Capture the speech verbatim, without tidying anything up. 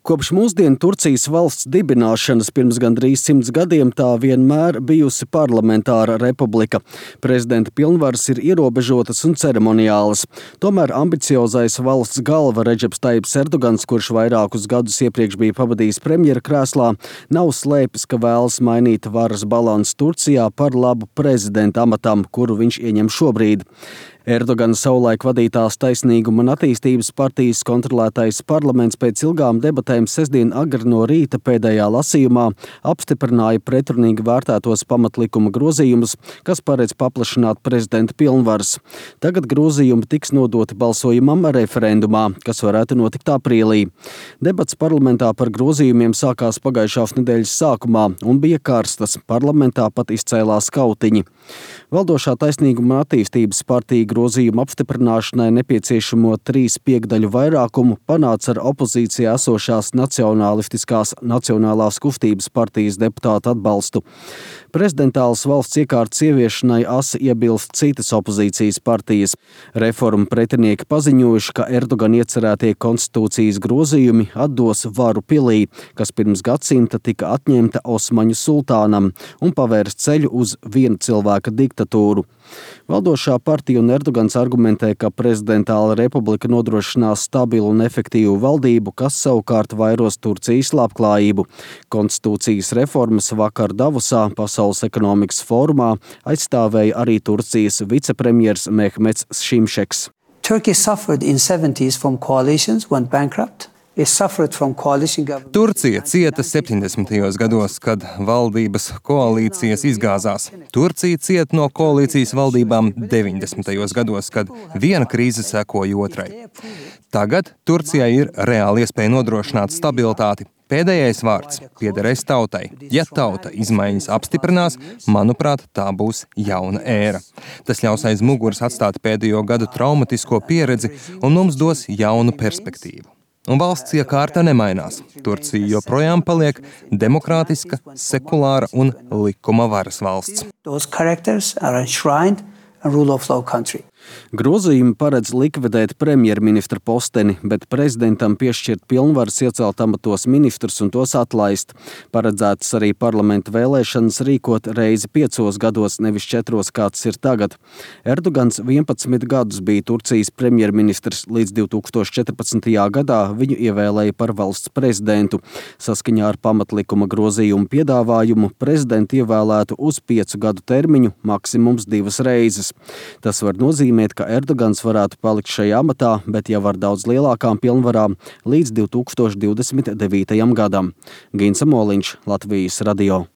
Kopš mūsdienu Turcijas valsts dibināšanas pirms gandrīz simts gadiem tā vienmēr bijusi parlamentāra republika. Prezidenta pilnvaras ir ierobežotas un ceremoniālas. Tomēr ambiciozais valsts galva Redžeps Tajips Erdogans, kurš vairākus gadus iepriekš bija pavadījis premjera krēslā, nav slēpis, ka vēlas mainīt varas balansu Turcijā par labu prezidenta amatam, kuru viņš ieņem šobrīd. Erdogana savulaik vadītās Taisnīguma un attīstības partijas kontrolētais parlaments pēc ilgām debatēm sestdien agri no rīta pēdējā lasījumā apstiprināja pretrunīgi vērtētos pamatlikuma grozījumus, kas paredz paplašināt prezidenta pilnvaras. Tagad grozījumi tiks nodoti balsojumam referendumā, kas varētu notikt aprīlī. Debats parlamentā par grozījumiem sākās pagājušās nedēļas sākumā un bija karstas. Parlamentā pat izcēlās kautiņi. Valdošā Taisnīguma un attīstības partija grozījumu apstiprināšanai nepieciešamo trīs piekdaļu vairākumu panāca ar opozīcijā esošās Nacionālistiskās Nacionālās kustības partijas deputātu atbalstu. Prezidentālas valsts iekārtas ieviešanai asi iebilst citas opozīcijas partijas. Reformu pretinieki paziņojuši, ka Erdogan iecerētie konstitūcijas grozījumi atdos varu pilī, kas pirms gadsimta tika atņemta Osmaņu sultānam un pavērs ceļu uz viena cilvēka diktatūru. Valdošā partija un Erdogans argumentē, ka prezidentāla republika nodrošinās stabilu un efektīvu valdību, kas savukārt vairos Turcijas labklājību. Konstitūcijas reformas vakar Davosā Pasaules ekonomikas fórumā aizstāvēja arī Turcijas vicepremjers Mehmets Šimšeks. Turkey suffered in seventies from coalitions, went bankrupt. Turcija cieta septiņdesmitajos gados, kad valdības koalīcijas izgāzās. Turcija cieta no koalīcijas valdībām deviņdesmitajos gados, kad viena krīze sekoja otrai. Tagad Turcijai ir reāli iespēja nodrošināt stabilitāti. Pēdējais vārds piederēs tautai. Ja tauta izmaiņas apstiprinās, manuprāt, tā būs jauna ēra. Tas ļaus aiz muguras atstāt pēdējo gadu traumatisko pieredzi un mums dos jaunu perspektīvu. Un valsts iekārta nemainās. Turcija joprojām paliek demokrātiska, sekulāra un likuma varas valsts. Grozījumi paredz likvidēt premjerministra posteni, bet prezidentam piešķirt pilnvaras iecelt amatos ministrus un tos atlaist. Paredzētas arī parlamenta vēlēšanas rīkot reizi piecos gados, nevis četros, kāds ir tagad. Erdogans vienpadsmit gadus bija Turcijas premjerministrs, līdz divi tūkstoši četrpadsmitajā gadā viņu ievēlēja par valsts prezidentu. Saskaņā ar pamatlikuma grozījumu piedāvājumu prezidentu ievēlētu uz piecu gadu termiņu, maksimums divas reizes. Tas var nozīmēt, ka Erdogans varētu palikt šajā amatā, bet jau ar daudz lielākām pilnvarām līdz divi tūkstoši divdesmit devītajam gadam. Gins Amoliņš, Latvijas radio.